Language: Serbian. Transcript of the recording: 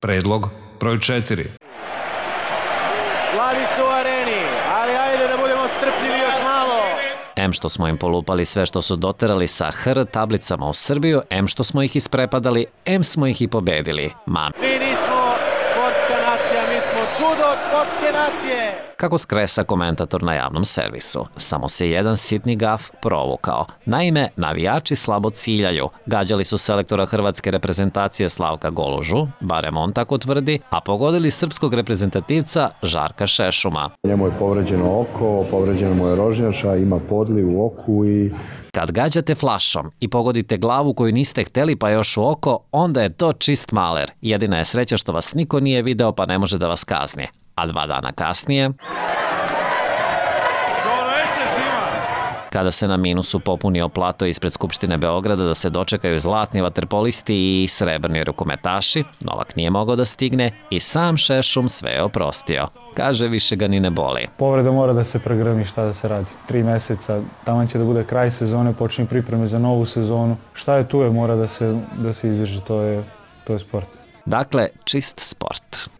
Predlog broj 4. Slavi su u areni, ali ajde da budemo strpljivi još malo. Em što smo im polupali sve što su doterali sa HR tablicama u Srbiju, em što smo ih isprepadali, em smo ih i pobedili. Mi nismo sportska nacija, mi smo čudo sportske nacije. Kako skresa komentator na javnom servisu. Samo se jedan sitni gaf provukao. Naime, navijači slabo ciljaju. Gađali su selektora hrvatske reprezentacije Slavka Golužu, barem on tako tvrdi, a pogodili srpskog reprezentativca Žarka Šešuma. Njemu je povređeno oko, povređeno mu je rožnjača, ima podliv u oku i... Kad gađate flašom i pogodite glavu koju niste hteli pa još u oko, onda je to čist maler. Jedina je sreća što vas niko nije video pa ne može da vas kazni. A 2 dana kasnije, kada se na minusu popunio plato ispred Skupštine Beograda da se dočekaju zlatni vaterpolisti i srebrni rukometaši, Novak nije mogao da stigne i sam Šešum sve je oprostio. Kaže, više ga ni ne boli. Povreda mora da se pregrmi, šta da se radi. 3 meseca, tamo će da bude kraj sezone, počne pripreme za novu sezonu. Šta je tu je, mora da se izdrži, to je sport. Dakle, čist sport.